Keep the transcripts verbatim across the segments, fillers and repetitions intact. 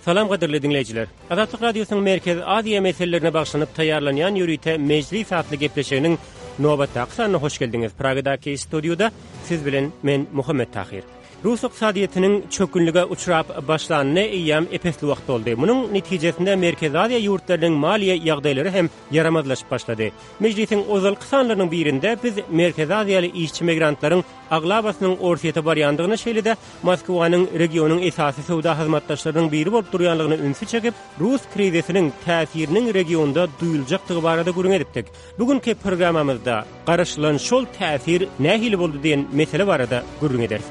Salam gadyrly diňleýjiler. Azatlyk Radiosynyň Merkezi Aziýa meselelerine bagyşlanyp taýýarlanýan ýörite Mejlis atly gepleşiginiň nobatdaky sanyna hoş geldiňiz. Pragadaky studiýada siz bilen men Muhammet Tahyr. Rus ykdysadyýetiniň çökgünlige uçrap başlanyna eýýäm epesli wagt boldy. Munuň netijesinde Merkezi Aziýa ýurtlarynyň maliýe ýagdaýlary hem ýaramazlaşyp başlady. Mejlisiň ozalky sanlarynyň birinde biz Merkezi Aziýaly işçi migrantlaryň aglabasynyň Orsýete barýandygyny, şeýle-de Moskwanyň regionyň esasy söwda hyzmatdaşlarynyň biri bolup durýanlygyna ünsi çekip, rus krizisiniň täsiriniň regionda duýuljakdygy barada gürrüň edipdik. Bu günki programmamyzda garaşylan şol täsir nähili boldy diýen mesele barada gürrüň ederis.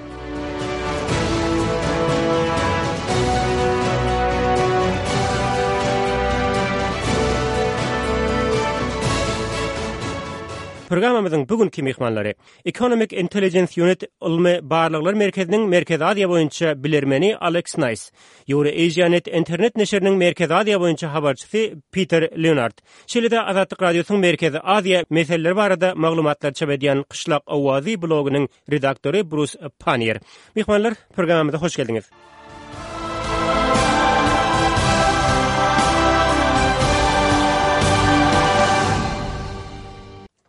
Programmamyzyň bu günki myhmanlary Economic Intelligence Unit ylmy barlaglar merkeziniň Merkezi Aziýa boýunça bilermeni Alex Naýs, Eurasianet internet neşiriniň Merkezi Aziýa boýunça habarçysy Peter Leonard, şeýle-de Azatlyk Radiosynyň Merkezi Aziýa meseleleri barada maglumatlar çap edýän Kyşlak owazy blogynyň redaktory Brus Pannier. Myhmanlar, programmamyza hoş geldiňiz.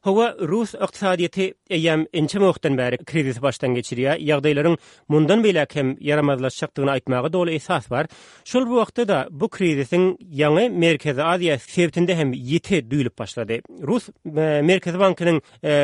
Hawa, rus ykdysadyýeti eýýäm ençeme wagtdan bäri krizisi başdan geçirýär. Ýagdaýlaryň mundan beýläk hem ýaramazlaşjakdygyny aýtmaga doly esas bar. Şol bir wagtda-da bu krizisiň ýaňy Merkezi Aziýa sebitinde hem ýiti duýulyp başlady. Rus Merkezi bankynyň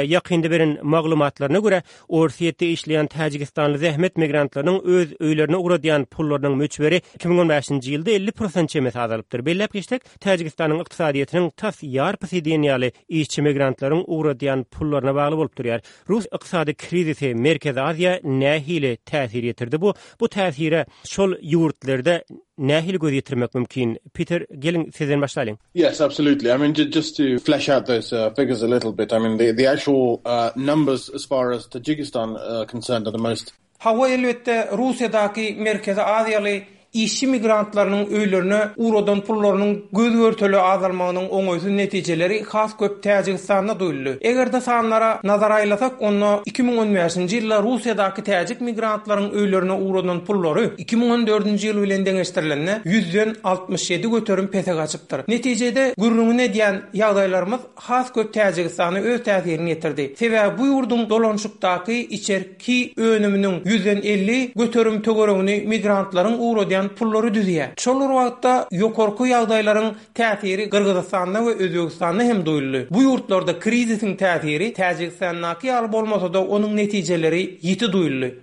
ýakynda beren maglumatlaryna görä, Orsýetde işleýän täjigistanly zähmet migrantlarynyň öz öýlerine ugradýan pullarynyň möçberi iki müň on bäşinji ýylda elli prosent çemesi azalypdyr. Belläp geçsek, Täjigistanyň ykdysadyýetiniň tas ýarpysy diýen ýaly işçi migrantlaryň ugradýan pullaryna bagly bolup durýar. Rus ykdysady krizisi Merkezi Aziýa nähili täsir ýetirdi? Bu bu täsire şol ýurtlarda nähili göz ýetirmek mümkin? Peter, geliň sizden başlalyň. Yes, absolutely. I mean, just to flesh out those uh, figures a little bit, I mean, the, the actual uh, numbers as far as Tajikistan uh, concerned are the most Hawa, elbetde, Russiýadaky Merkezi Aziýaly işçi migrantlarynyň öýlerine ugradan pullarynyň göz-görtele azalmagynyň oňaýsyz netijeleri has köp Täjigistanda duýuldy. Eger-de sanlara nazar aýlasak, onda iki müň on bäşinji ýylda Russiýadaky täjik migrantlaryň öýlerine ugradan pullary iki müň on dördünji ýyl bilen deňeşdirilende ýüzden altmyş ýedi göterim pese gaçypdyr. Netijede, gürrüňini edýän ýagdaýlarymyz has köp Täjigistana öz täsirini ýetirdi. Sebäbi bu ýurduň dolanyşykdaky içerki önüminiň ýüzden elli göterim töweregini migrantlaryň ugradýan pullary düzýär. Şol bir wagtda ýokarky ýagdaýlaryň täsiri Gyrgyzystanda we Özbegistanda hem duýuldy. Bu ýurtlarda krizisiň täsiri Täjigistandaky ýaly bolmasa-da, onuň netijeleri ýiti duýuldy.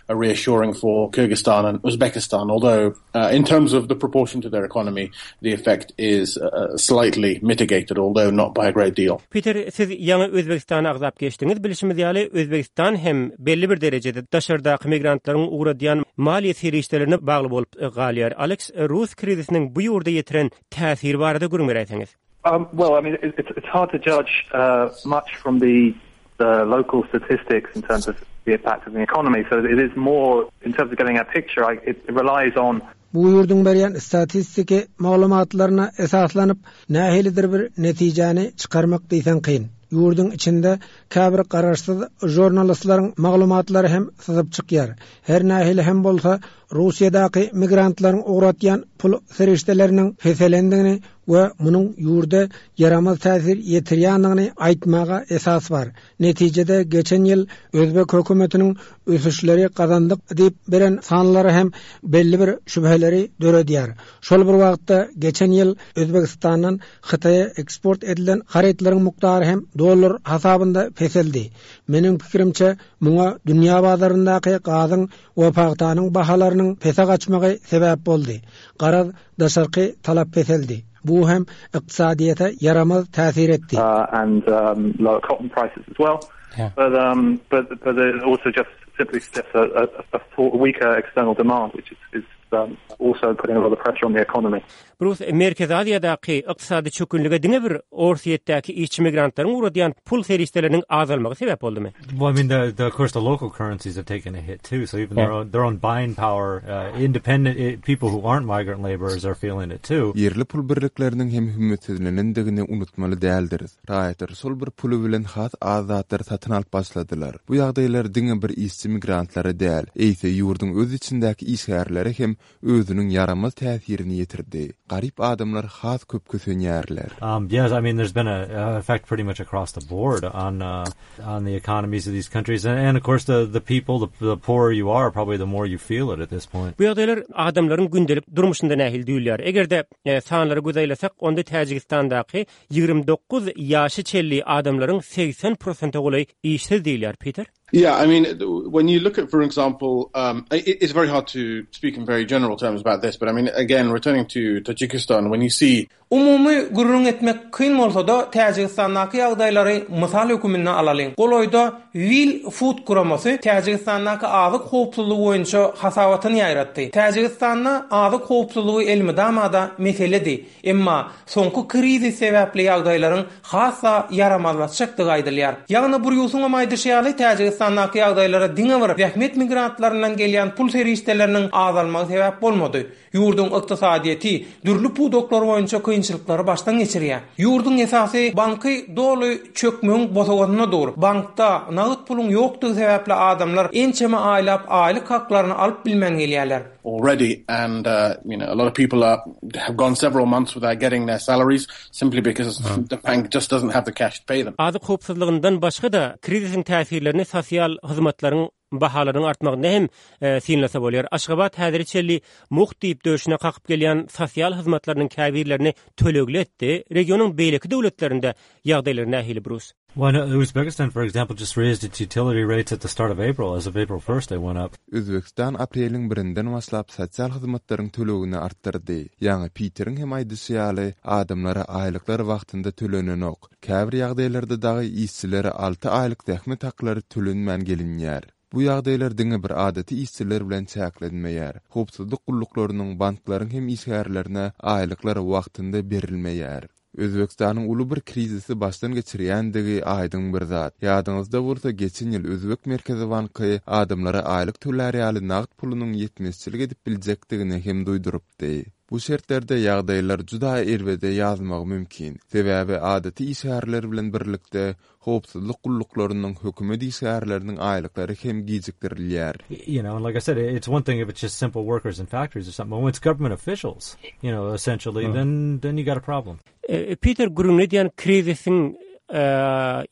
reassuring for Kyrgyzstan and Uzbekistan, although uh, in terms of the proportion to their economy, the effect is uh, slightly mitigated, although not by a great deal. Peter, siz ýaňy Özbegistany agzap geçdiňiz. Bilşimiz ýaly, Özbegistan hem belli bir derejede daşardaky migrantlaryň ugradýan maliýe serişdelerine bagly bolup galýar. Alex, rus krizisiniň bu ýurda ýetiren täsiri barada gürrüň beräýseňiz. Um, well, I mean, it's, it's hard to judge uh, much from the, the local statistics in terms of the impact of the economy. So it is more, in terms of getting a picture, I, it relies on Bu ýurduň berýän statistiki maglumatlaryna esaslanyp, nähilidir bir netijäni çykarmak diýseň kyn. Ýurduň içinde käbir garaşsyz žurnalistleriň maglumatlary hem syzyp çykýar. Her nähili hem bolsa, Russiýadaky migrantlaryň ugratýan pul serişdeleriniň peselendigini we munuň ýurda ýaramaz täsir ýetirýändigini aýtmaga esas bar. Netijede geçen ýyl özbek hökümetiniň ösüşleri gazandyk diýip beren sanlary hem belli bir şübheleri döredýär. Şol bir wagtda geçen ýyl Özbegistandan Hytaýa eksport edilen harytlaryň mukdary hem dollar hasabynda peseldi. Meniň pikirimçe, muňa dünýä bazaryndaky gazyň we pagtanyň bahalarynyň pese gaçmagy sebäp boldy. Garaz, daşarky talap peseldi. Bu hem ykdysadyýete ýaramaz täsir etdi. Uh, and um, lower cotton prices as well. Yeah. But, um, but, but it also just simply suggests a, a, a weaker external demand, which is, is um, also putting a lot of pressure on the economy. Brus, Merkezi Aziýadaky ykdysady çökgünlige diňe bir Orsýetdäki işçi migrantlaryň ugradýan pul serişdeleriniň azalmagy sebäp boldumy? Well, I mean, the, the, of course, the local currencies have taken a hit too. So even their own, their own buying power, uh, independent eh, people who aren't migrant laborers are feeling it too. Ýerli pul birlikleriniň hem hümmetsizlenendigini unutmaly däldiris. Raýatlar şol bir puly bilen has az zatlary satyn alyp başladylar. Bu ýagdaýlar diňe bir işçi migrantlara däl, eýse ýurduň öz içindäki işgärlere hem özüniň ýaramaz täsirini ýetirdi. Garyp adamlar has köp kösenýärler. Um, yes, I mean, there's been a, a effect pretty much across the board on uh, on the economies of these countries, and, and of course the the people, the, the poorer you are, probably the more you feel it at this point. Bu ýagdaýlar adamlaryň gündelik durmuşynda nähili duýulýar? Eger-de e, sanlara göz aýlasak, onda Täjigistandaky ýigrimi dokuz ýaşy çenli adamlaryň segsen prosente golaý işsiz diýilýär, Peter. Yeah, I mean, when you look at, for example, um, it, it's very hard to speak in very general terms about this, but I mean, again, returning to Tajikistan, when you see... Umumy gürrüň etmek kyn bolsa-da, Täjigistandaky ýagdaýlary mysal hökmünde alalyň. Golaýda Will Food guramasy Täjigistandaky azyk howpsuzlygy boýunça hasabatyny ýaýratdy. Täjigistanda azyk howpsuzlygy elmydama-da meseledi. Emma soňky krizis sebäpli ýagdaýlaryň has-da ýaramazlaşjakdygy aýdylýar. Ýagny Brýusyň hem aýdyşy ýaly, Täjigistandaky ýagdaýlara diňe bir zähmet migrantlaryndan gelýän pul serişdeleriniň azalmagy sebäp bolmady. Ýurduň ykdysadyýeti dürli pudaklar boýunça kynçylyklary başdan geçirýär. Ýurduň esasy banky doly çökmegiň bosagasynda dur. Bankda nagt puluň ýokdugy sebäpli adamlar ençeme aýlap aýlyk haklaryny alyp bilmän gelýärler. Already, and, uh, you know, a lot of people are, have gone several months without getting their salaries simply because the bank just doesn't have the cash to pay them. Azyk howpsuzlygyndan başga-da krizisiň täsirlerini sosial hyzmatlaryň bahalaryň artmagynda hem, e, synlasa bolýar. Aşgabat häzir çenli mugt diýip döşüne kakyp gelýän sosial hyzmatlarynyň käbirlerini tölegli etdi. Regionyň beýleki döwletlerinde ýagdaýlar nähili, Brus? Well, no, Uzbekistan, for example, just raised its utility rates at the start of April. As of April first, they went up. Özbekistan apreliň birinden başlap sosial hyzmatlaryň tölegini artdyrdy. Ýagny Peteriň hem aýdyşy ýaly, adamlara aýlyklar wagtynda tölenenok. Käbir ýagdaýlarda dagy işçilere alty aýlyk zähmet haklary tölenmän gelinýär. Bu ýagdaýlar diňe bir adaty işçiler bilen çäklenmeýär. Howpsuzlyk gulluklarynyň, banklaryň hem işgärlerine aýlyklar wagtynda berilmeýär. Özbekistanyň uly bir krizisi başdan geçirýändigi aýdyň bir zat. Ýadyňyzda bolsa geçen ýyl Özbek Merkezi Banky adamlara aýlyk tölär ýaly nagt pulunyň ýetmezçilik edip biljekdigini hem duýdurypdy. Bu şertlerde ýagdaýlar juda erbede ýazmagy mümkin. Sebäbi adaty işgärler bilen birlikde howpsuzlyk gulluklarynyň hökümet işgärleriniň aýlyklary hem gijikdirilýär. You know, and like I said, it's one thing if it's just simple workers in factories or something, but when it's government officials, you know, essentially, Hmm. then, then you got a problem. E, Peter, gürrüň edýän krizisiň, e,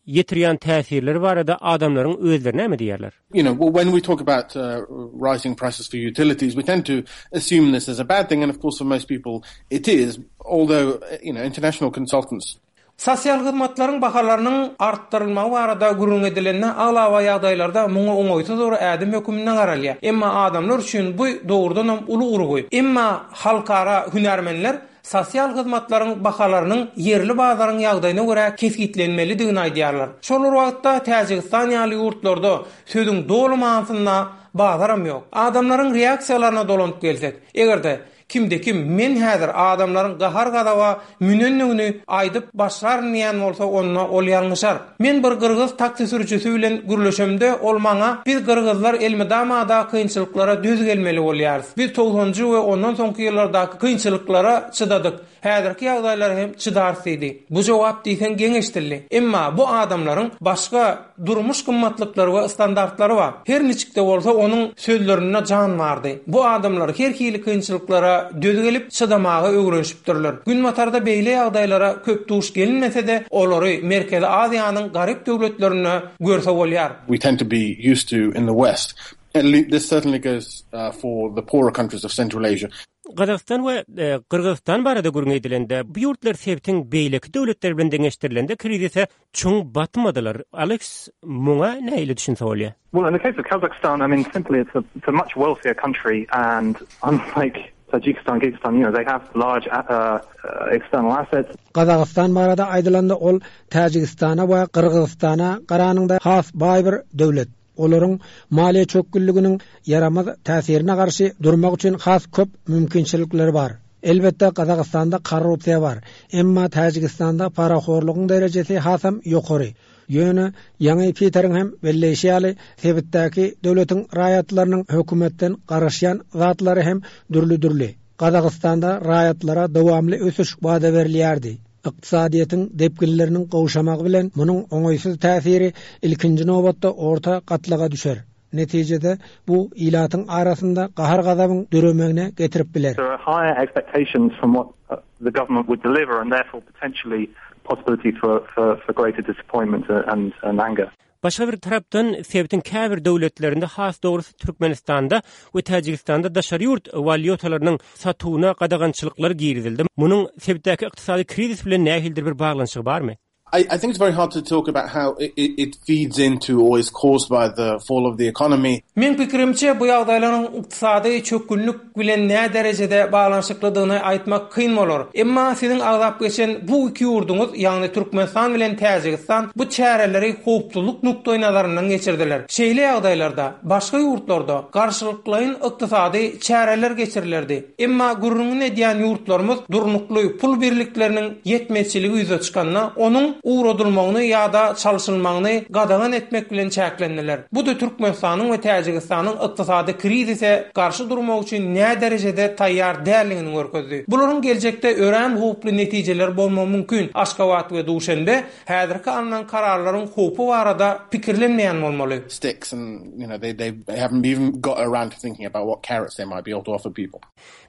ýetirýän täsirleri barada adamlaryň özleri näme diýerler? You know, well, when we talk about, uh, rising prices for utilities, we tend to assume this as a bad thing, and of course for most people it is, although, you know, international consultants Sosial hyzmatlaryň bahalarynyň artdyrylmagy barada gürrüň edilende aglaba ýagdaýlarda muňa oňaýsyz bir ädim hökmünde garalýar. Emma adamlar üçin bu dogrudan hem uly urgy. Emma halkara hünärmenler sosial hyzmatlaryň bahalarynyň ýerli bazaryň ýagdaýyna görä kesgitlenmelidigini aýdýarlar. Şol bir wagtda Täjigistan ýaly ýurtlarda sözüň doly manysynda bazaram ýok. Adamlaryň reaksiýalaryna dolanyp gelsek, eger-de kimde kim men häzir adamlaryň gahar gazaba münendigini aýdyp başlaryn diýen bolsa, onda ol ýalňyşar. Men bir gyrgyz taksi sürüjisi bilen gürleşemde, ol maňa biz gyrgyzlar elmydama kynçylyklara döz gelmeli bolýarys. Biz togsanjy we ondan soňky ýyllardaky kynçylyklara çydadyk. Häzirki ýagdaýlara hem çydarys diýdi. Bu jogap diýseň geňeşdirli. Emma bu adamlaryň başga durmuş gymmatlyklary we standartlary bar. Her niçikde bolsa onuň sözlerinde jan bardy. Bu adamlar her hili kynçylyklara döz gelip çydamaga öwrenişipdirler. Günbatarda beýle ýagdaýlara köp duş gelinmese-de, olary Merkezi Aziýanyň garyp döwletlerinde görse bolýar. We tend to be used to in the West. And this certainly goes, uh, for the poorer countries of Central Asia. Gazagystan we, e, Gyrgyzystan barada gürrüň edilende, bu ýurtlar sebitiň beýleki döwletleri bilen deňeşdirilende krizise çuň batmadylar. Alex, muňa nähili düşünse bolýar? Well, in the case of Kazakhstan, I mean, simply it's a, it's a much wealthier country, and unlike Tajikistan, Kyrgyzstan, you know, they have large, uh, uh, external assets. Gazagystan barada aýdylanda ol Täjigistana we Gyrgyzystana garanyňda has baý bir döwlet. Olaryň maliýe çökgünliginiň ýaramaz täsirine garşy durmak üçin has köp mümkinçilikleri bar. Elbetde Gazagystanda korrupsiýa bar. Emma Täjigistanda parahorlugyň derejesi hasam ýokary. Ýöne ýaňy Peteriň hem belleýşi ýaly sebitdäki döwletiň raýatlarynyň hökümetden garaşýan zatlary hem dürli-dürli. Gazagystanda raýatlara dowamly ösüş wada berilýärdi. Ykdysadyýetiň depginleriniň gowşamagy bilen munuň oňaýsyz täsiri ilkinji nobatda orta gatlaga düşer. Netijede bu ilatyň arasynda gahar-gazabyň döremegine getirip biler. There are higher expectations from what uh, the government would deliver and therefore potentially possibility for, for, for greater disappointment and, and anger. Başga bir tarapdan sebitiň käbir döwletlerinde has dogrusy Türkmenistanda we Täjigistanda daşary ýurt walýutalarynyň satuwyna gadagançylyklar girizildi. Munuň sebitdäki ykdysady krizis bilen nähilidir bir baglanyşygy barmy? I, I think it's very hard to talk about how it, it feeds into or is caused by the fall of the economy. Meň pikirimçe bu ýagdaýlaryň ykdysady çökgünlik bilen nä derejede baglanyşyklydygyny aýtmak kyn bolar. Emma siziň agzap geçen bu iki ýurduňyz, ýagny Türkmenistan bilen Täjigistan bu çäreleri howpsuzlyk nukdaý nazaryndan geçirdiler. Şeýle ýagdaýlarda başga ýurtlarda garşylyklaýyn ykdysady çäreler geçirilerdi. Emma gürrüňini edýän ýurtlarymyz durnukly pul birlikleriniň ýetmezçiligi ýüze çykanda onuň ugradylmagyny ýa-da çalşylmagyny gadagan etmek bilen çäklendiler. Bu da Türkmenistanyň we Täjigistanyň ykdysady krizise garşy durmak üçin nä derejede taýýar däldigini görkezdi. Bularyň geljekde örän howply netijeler bolmagy mümkin. Aşgabat we Duşenbe häzirki alynan kararlaryň howpy barada pikirlenmeýän bolmaly. Sticks and you know they they haven't even got around to thinking about what carrots they might be able to offer people.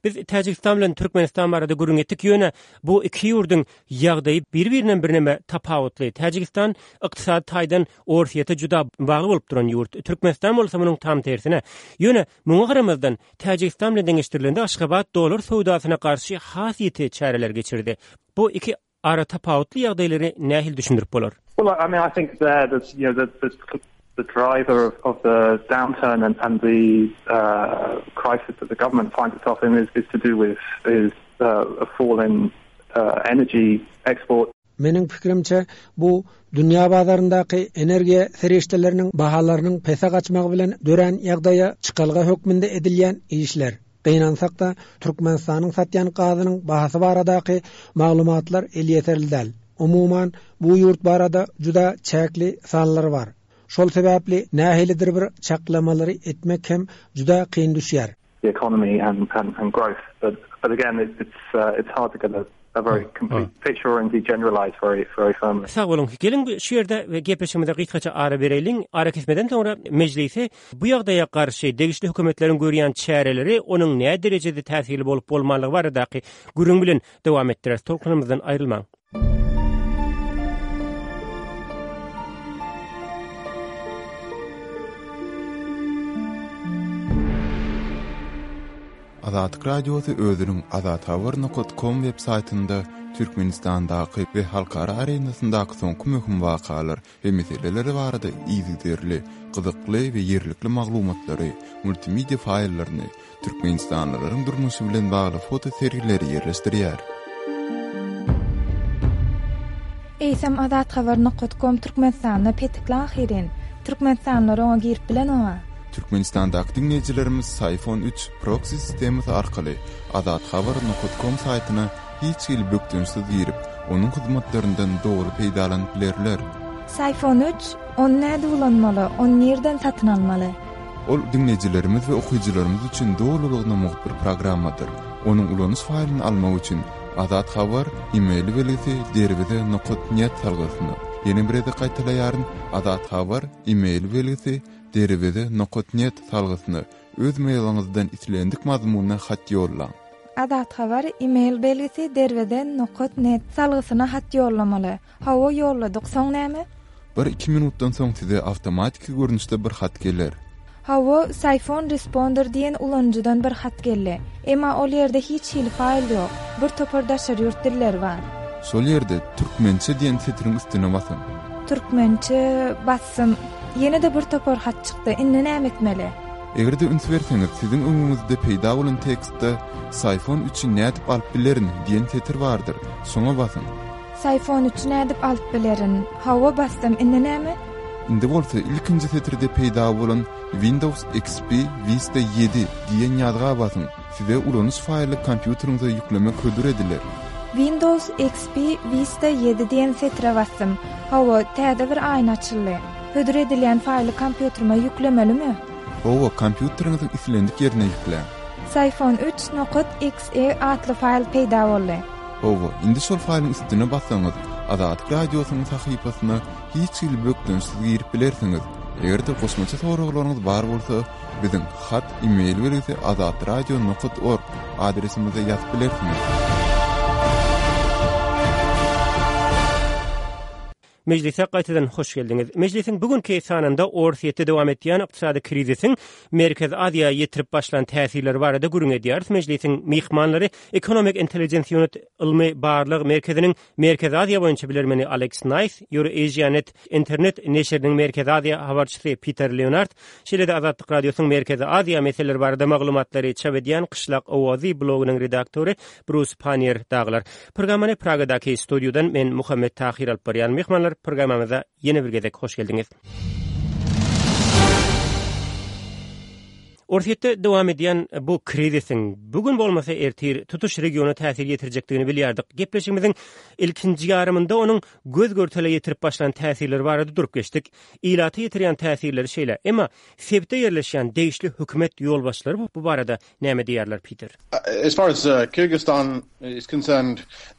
Biz Täjigistan bilen Türkmenistan barada gürrüň etdik. Ýöne bu iki ýurduň ýagdaýy bir-birinden birneme tapawutly. Täjigistan ykdysady taýdan Orsýete juda bagly bolup duran ýurt. Türkmenistan bolsa munuň tam tersine. Ýöne muňa garamazdan Täjigistan bilen deňeşdirilende Aşgabat dollar söwdasyna garşy has ýiti çäreler geçirdi. Bu iki ara tapawutly ýagdaýlary nähili düşündirip bolar? Well, I mean, I think there, the, you know, the, the, the driver of, of the downturn and, and the uh, crisis that the government finds itself in is, is to do with is uh, a fall in uh, energy export. Meniň pikirimçe bu dünýä bazaryndaky energiýa serişdeleriniň bahalarynyň pese gaçmagy bilen dörän ýagdaýa çykalga hökmünde edilýän işler. Gynansak-da Türkmenistanyň satýan gazynyň bahasy baradaky maglumatlar elýeterli däl. Umuman bu ýurt barada juda çäkli sanlar bar. Şol sebäpli nähilidir bir çaklamalary etmek hem juda kyn düşýär. The economy and, and, and growth, but but again, it's it's, uh, it's hard to get a, a very complete picture or indeed generalize very very firmly. Sag boluň. Geliň şu ýerde gepleşigimize gysgaça ara bereýliň. Ara kesmeden soňra mejlisi bu ýagdaýa garşy degişli hökümetleriň görýän çäreleri onuň nä derejede täsirli bolup bolmanlygy baradaky gürrüň bilen dowam etdirer. Tolkunymyzdan aýrylmaň. Azatlyk Radiosy özüniň azathabar.com web saýtynda Türkmenistandaky we halkara arenasyndaky soňky möhüm wakalar we meseleler barada yzygiderli, gyzykly we ýerlikli maglumatlary, multimedia faýllaryny, Türkmenistanlylaryň durmuşy bilen bagly foto sergileri ýerleşdirýär. Eýsem azathabar.com Türkmenistanda petikli ahyrin. Türkmenistanlylar oňa girip bilen oňa. Türkmenistandaky diňleýjilerimiz Syfon üç proxy sistemasy arkaly azathabar.com saýtyna hiç hili bökdençsiz girip, onuň hyzmatlaryndan dogry peýdalanyp bilerler. Syfon üç, ony näde ulanmaly, ony nirden satyn almaly? Ol diňleýjilerimiz we okyjylarymyz üçin dolulygyna mugt bir programmadyr. Onuň ulanyş faýlyny almak üçin Azat Habar e-mail belgisi derweze nokat net salgysyna. Ýene bir gezek gaýtalaýaryn, Azat Habar e-mail belgisi derweze nokat net salgysyna öz mailiňizden islendik mazmunda hat ýollaň. Azat Habar e-mail belgisi derweze nokat net salgysyna hat ýollamaly. Hawa ýolladyk, soň näme? Bir iki minutdan soň size awtomatiki görnüşde bir hat geler. Hawa, Syfon Responder diýen ulanyjydan bir hat geldi. Emma ol ýerde hiç hili faýl ýok. Bir topar daşary ýurt dilleri bar. Şol ýerde türkmençe diýen setiriň üstüne basyň. Türkmençe bassym. Ýene de bir topar hat çykdy. Indi näme etmeli? Eger de üns berseňiz, siziň öňüňizde peýda bolan tekstde Syfon üçi nädip alyp bilerin diýen setir bardyr. Şoňa basyň. Syfon üçi nädip alyp bilerin? Hawa bassym, indi näme? Indi bolsa ilkinji setirde peýda bolan Windows X P Vista ýedi diýen ýazga basyň. Size ulanyş faýly kompýuteriňize ýüklemek hödür ediler. Windows X P Vista ýedi diýen setire bassym. Hawa, täze bir aýna açyldy. Hödür edilýän faýly kompýuterime ýüklemelimi? Hawa, kompýuteriňiziň islendik ýerine ýükläň. Syfon üç nokat X E atly faýl peýda boldy. Hawa, indi şol faýlyň üstüne bassaňyz, Azatlyk Radiosynyň sahypasyna hiç hili bökdençsiz girip bilersiňiz. Eger-de goşmaça soraglaryňyz bar bolsa, biziň hat e-mail belgisi azatradio nokat org adresimize ýazyp bilersiňiz. Mejlise gaýtadan hoş geldiňiz. Mejlisiň bugünkü sanynda Orsýetde dowam etýän ykdysady krizisiň Merkezi Aziýa ýetirip başlan täsirleri barada gürrüň edýäris. Mejlisiň myhmanlary Economic Intelligence Unit ylmy barlag merkeziniň Merkezi Aziýa boýunça bilermeni Alex Naýs, EurAsiaNet internet neşiriniň Merkezi Aziýa habarçysy Peter Leonard, şeýle-de Azatlyk Radiosynyň Merkezi Aziýa meseleleri barada maglumatlary çap edýän Kyşlak Owazy blogynyň redaktory Bruce Pannier dagylar. Programmany Pragadaky studiýadan men Muhammet Tahir alyp barýan. Myhmanlar programmamyza ýene bir gezek hoş geldiňiz. Orsýetde dowam edýän bu krizisiň bugün bolmasa ertir tutuş regiona täsir ýetirjekdigini bilýärdik. Gepleşigimiziň ilkinji ýarymynda onuň göz görtele ýetirip başlan täsirleri barada durup geçdik. Ilaty ýetirýän täsirleri şeýle. Emma sebitde ýerleşýän degişli hökümet ýolbaşçylary bu barada näme diýerler Peter? As far as uh, Kyrgyzstan is concerned,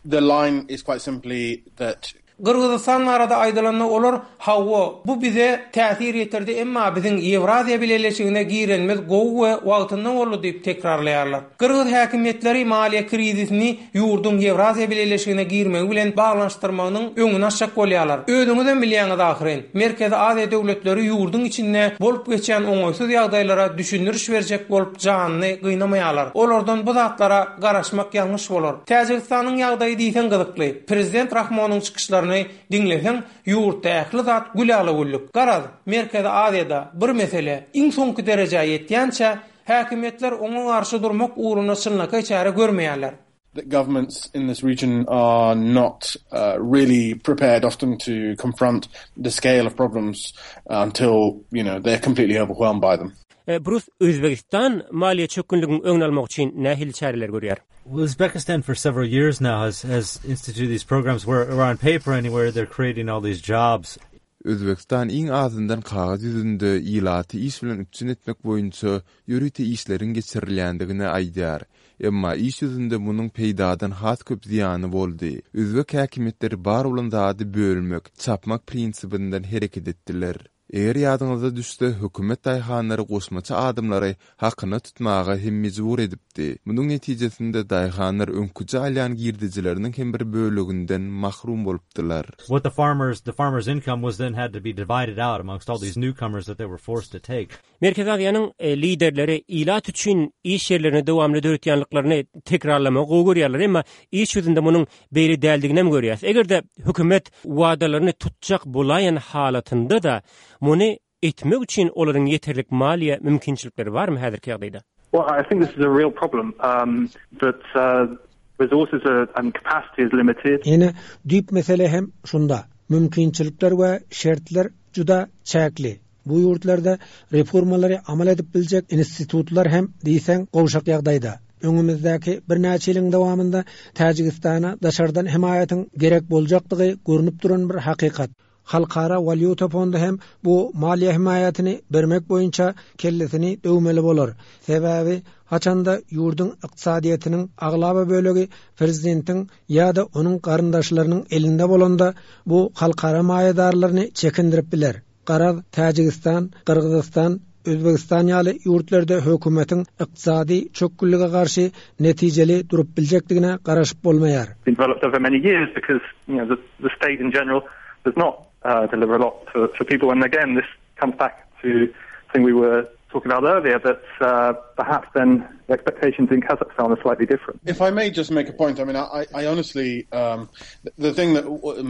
the line is quite simply that Gyrgyzystan barada aýdylanda olar hawa bu bize täsir ýetirdi emma biziň Ýewraziýa bileleşigine girenimiz gowy we wagtynda boldy diýip tekrarlaýarlar. Gyrgyz häkimiýetleri maliýe krizisini ýurduň Ýewraziýa bileleşigine girmegi bilen baglanyşdyrmagynyň öňüni açjak bolýarlar. Özüňiz hem bilýäňiz ahyryn. Merkezi Aziýa döwletleri ýurduň içinde bolup geçýän oňaýsyz ýagdaýlara düşündiriş berjek bolup janyny gynamaýarlar. Olardan bu zatlara garaşmak ýalňyş bolar. Täjigistanyň ýagdaýy diýseň gyzykly. Prezident Rahmonyň çykyşlaryny diňleseň, ýurtda ähli zat gül güllük. Garaz, Merkezi Aziýada bir mesele iň soňky derejä ýetýänçe häkimiýetler oňa garşy durmak ugrunda çynlakaý çäre görmeýärler. that governments in this region are not uh, really prepared often to confront the scale of problems until, you know, they're completely overwhelmed by them. Bruce, Özbegistan maliýe çökgünliginiň öňüni almak üçin nähili çäreler görýär? Uzbekistan for several years now has has instituted these programs where, where on paper anywhere they're creating all these jobs. Özbegistan iň azyndan kagyz ýüzünde ilaty iş bilen üpjün etmek boýunça ýörite işleriň geçirilýändigini aýdýar. Emma iş ýüzünde munuň peýdadan has köp zyýany boldy. Özbek häkimiýetleri bar bolan zady bölmek, çapmak prinsibinden hereket etdiler. Eger ýadyňyza düşse, hökümet daýhanlary goşmaça adamlary hakyna tutmaga hem mejbur edipdi. Munuň netijesinde daýhanlar öňküje alýan girdejileriniň hem bir böleginden mahrum bolupdylar. What the farmers the farmers income was then had to be divided out amongst all these newcomers that they were forced to take. Merkezi Aziýanyň e, liderleri ilat üçin iş ýerlerini dowamly döretýänliklerini tekrarlamagy gowy görýärler, emma iş ýüzünde munuň beýle däldigini hem görýäs. Eger-de hökümet wadalaryny tutjak bolaýan halatynda da muny etmek üçin olaryň ýeterlik maliýe mümkinçilikleri barmy häzirki ýagdaýda? Well, I think this is a real problem um, that uh, resources are, and capacity is limited. Ýene düýp mesele hem şunda. Mümkinçilikler we şertler juda çäkli. Bu ýurtlarda reformalary amal edip biljek institutlar hem diýseň gowşak ýagdaýda. Öňümizdäki birnäçe ýylyň dowamynda Täjigistana daşardan hemaýatyň gerek boljakdygy görünip duran bir hakykat. Halkara walýuta fondy hem bu maliýe hemaýatyny bermek boýunça kellesini döwmeli bolar. Sebäbi haçanda ýurduň ykdysadyýetiniň aglaba bölegi prezidentiň ýa-da onuň garyndaşlarynyň elinde bolanda bu halkara maýadarlaryny çekindirip biler. Garaz Täjigistan, Gyrgyzystan, Özbegistan ýaly ýurtlarda hökümetiň ykdysady çökgünlige garşy netijeli durup biljekdigine garaşyp bolmaýar. Developed over many years because you know the, the state in general does not uh, deliver a lot for, for people. And again, this comes back to the thing we were talking about earlier, that uh, perhaps then the expectations in Kazakhstan are slightly different. If I may just make a point, I mean, I, I honestly, um, the thing that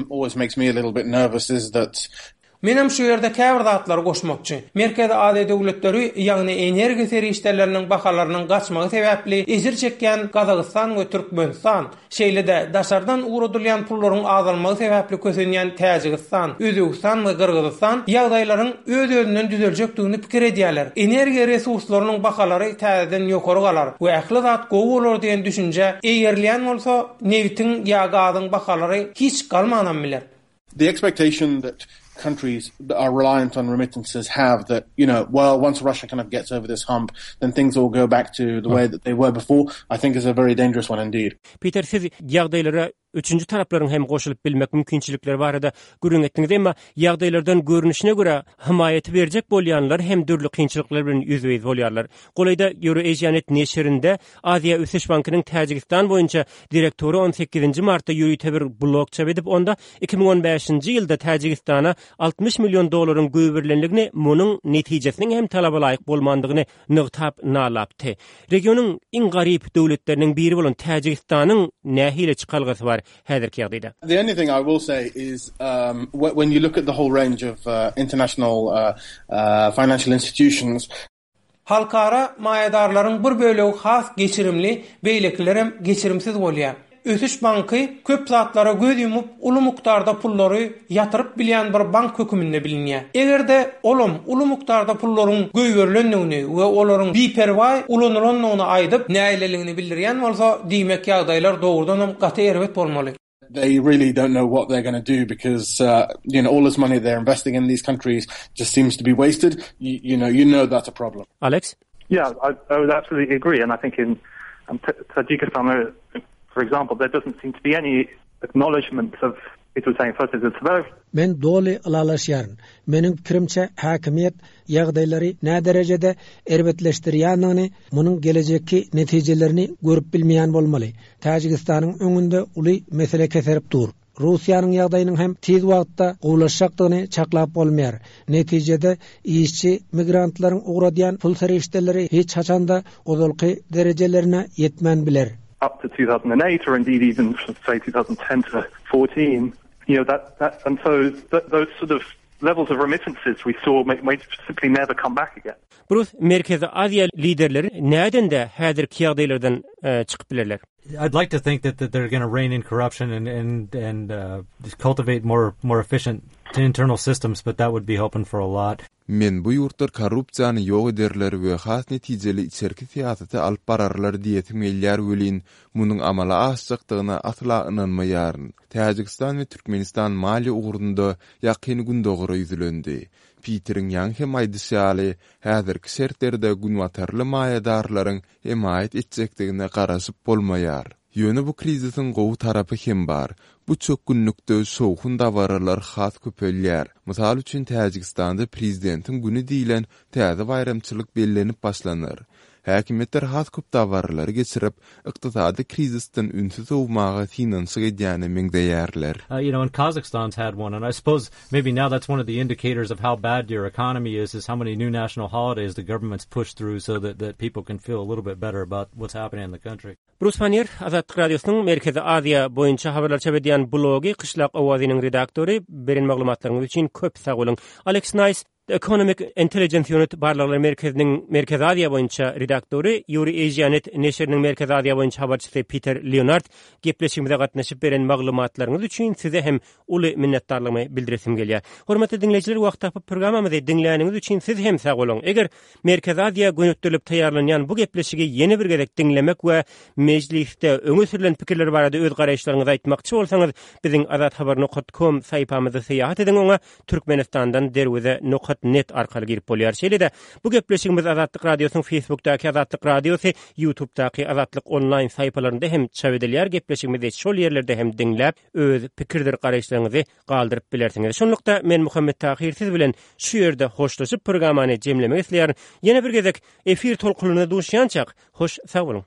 always makes me a little bit nervous is that Menem şu ýerde käbir zatlary goşmakçy. Merkezi Aziýa döwletleri, ýagny energiýa serişdeleriniň bahalarynyň gaçmagy sebäpli ejir çekýän Gazagystan we Türkmenistan, şeýle-de daşardan ugradylýan pullaryň azalmagy sebäpli kösenýän Täjigistan, Özbegistan we Gyrgyzystan ýagdaýlaryň öz-özünden düzeljekdigini pikir edýärler. Energiýa resurslarynyň bahalary täzeden ýokary galar we ähli zat gowy bolar diýen düşünje eýerilýän bolsa, nebitiň ýa gazyň bahalary hiç galmanam biler. The expectation that countries that are reliant on remittances have that, you know, well, once Russia kind of gets over this hump, then things will go back to the way that they were before, I think is a very dangerous one indeed. Peter, siz ýagdaýlara Üçünji taraplaryň hem goşulyp bilmek mümkinçilikleri barada gürrüň etdiňiz, emma ýagdaýlardan görnüşine görä hemaýaty berjek bolýanlar hem dürli kynçylyklar bilen ýüzbe-ýüz bolýarlar. Golaýda Eurasianet neşirinde Aziýa Ösüş Bankynyň Täjigistan boýunça direktory on sekizinji martda ýörite bir blog çap edip, onda iki müň on bäşinji ýylda Täjigistana altmyş million dollaryň goýberilendigini, munuň netijesiniň hem talaba laýyk bolmandygyny nygtap nalapdy. Regionyň iň garyp döwletleriniň biri bolan Täjigistanyň nähili çykalgasy bar häzirki ýagdaýda? The only thing I will say is, um, when you look at the whole range of, uh, international, uh, uh, financial institutions, Halkara maýadarlaryň bir bölegi has geçirimli, beýlekilerem geçirimsiz bolýar. Ösüş banky köp zatlara göz ýumup, uly mukdarda pullary ýatyryp bilýän bir bank höküminde bilinýär. Eger-de olam uly mukdarda pullaryň goýberilendigini we olaryň biperwaý ulanylandygyny aýdyp, nägileligini bildirýän bolsa, diýmek ýagdaýlar dogrudan hem gaty erbet bolmaly. They really don't know what they're gonna do because, uh, you know, all this money they're investing in these countries just seems to be wasted. You, you know, you know that's a problem. Alex? Yeah, I, I would absolutely agree. And I think in, um, Tajikistan, for example, there doesn't seem to be any acknowledgement of it was saying first it's very Men doly ylalaşýaryn. Meniň pikirimçe hakimiýet ýagdaýlary nä derejede erbetleşdirýändigini, munuň gelejekki netijelerini görüp bilmeýän bolmaly. Täjigistanyň öňünde uly mesele keserip dur. Russiýanyň ýagdaýynyň hem tiz wagtda gowulaşjakdygyny çaklap bolmaýar. Netijede işçi migrantlaryň ugradýan pul serişdeleri hiç haçanda ozalky derejelerine ýetmän biler. Up to two thousand eight or indeed even say two thousand ten to fourteen, you know, that, that and so th those sort of levels of remittances we saw may, may simply never come back again. Bruce, Merkezi Aziýa liderleri näden de häzirki ýagdaýlardan, e, çykyp bilerler? I'd like to think that, that they're gonna rein in corruption and, and, and, uh, cultivate more, more efficient internal systems, but that would be hoping for a lot. Men bu ýurtlar korrupsiýany ýok ederler we has netijeli içerki syýasaty alyp bararlar diýesim gelýär welin, munuň amala aşjakdygyna asla ynanmaýaryn. Täjigistan we Türkmenistan maliýe ugrunda ýakyn gündogara ýüzlendi. Peteriň ýaňy hem aýdyşy ýaly, häzirki şertlerde günbatarly maýadarlaryň hemaýat etjekdigine garaşyp bolmaýar. Ýöne bu krizisiň gowy tarapy hem bar. Bu çökgünlikde şowhun dabaralar has köpelýär. Mysal üçin Täjigistanda prezidentiň güni diýilen täze baýramçylyk bellenip başlanar. Häkimiýetler has köp dabaralary geçirip, ykdysady krizisden ünsi sowmaga synanyşyk edýäne meňzeýärler. Uh, you know, and Kazakhstan's had one, and I suppose maybe now that's one of the indicators of how bad your economy is, is how many new national holidays the government's pushed through so that, that people can feel a little bit better about what's happening in the country. Bruce Pannier, Azatlyk Radiosynyň Merkezi Aziýa boýunça habarlar çap edýän blogy Qishlaq owazynyň redaktory, beren maglumatlaryňyz üçin köp sag boluň. Alex Nice, The Economic Intelligence Unit Barlaglar Merkeziniň Merkezi Aziýa boýunça redaktory, Eurasianet neşiriniň Merkezi Aziýa boýunça habarçysy Peter Leonard gepleşigimize gatnaşyp beren maglumatlaryňyz üçin size hem uly minnetdarlygymy bildiresim gelýär. Hormatly dinleýjiler, wagt tapyp programmamyzy diňläniňiz üçin siz hem sag boluň. Eger Merkezi Aziýa gönükdirilip taýýarlanýan bu gepleşigi ýene bir gezek diňlemek we mejlisde öňe sürülen pikirler barada öz garaýyşlaryňyzy aýtmakçy bolsaňyz, biziň azathabar nokta com saýpamyzda syýahat ediň, oňa Türkmenistandan derweze nokta net arkaly girip bolýar. Şeýle-de bu gepleşigimiz Azatlyk Radiosynyň Facebookdaky Azatlyk Radiosy, YouTubedaky Azatlyk onlaýn saýpalarynda hem çap edilýär. Gepleşigimizi şol ýerlerde hem diňläp, öz pikirdir garaýyşlaryňyzy galdyryp bilersiňiz. Şonlukda men Muhammet Tahir siz bilen şu ýerde hoşlaşyp programmany jemlemek isleýärin. Ýene bir gezek efir tolkunynda duşýançak, hoş sag boluň.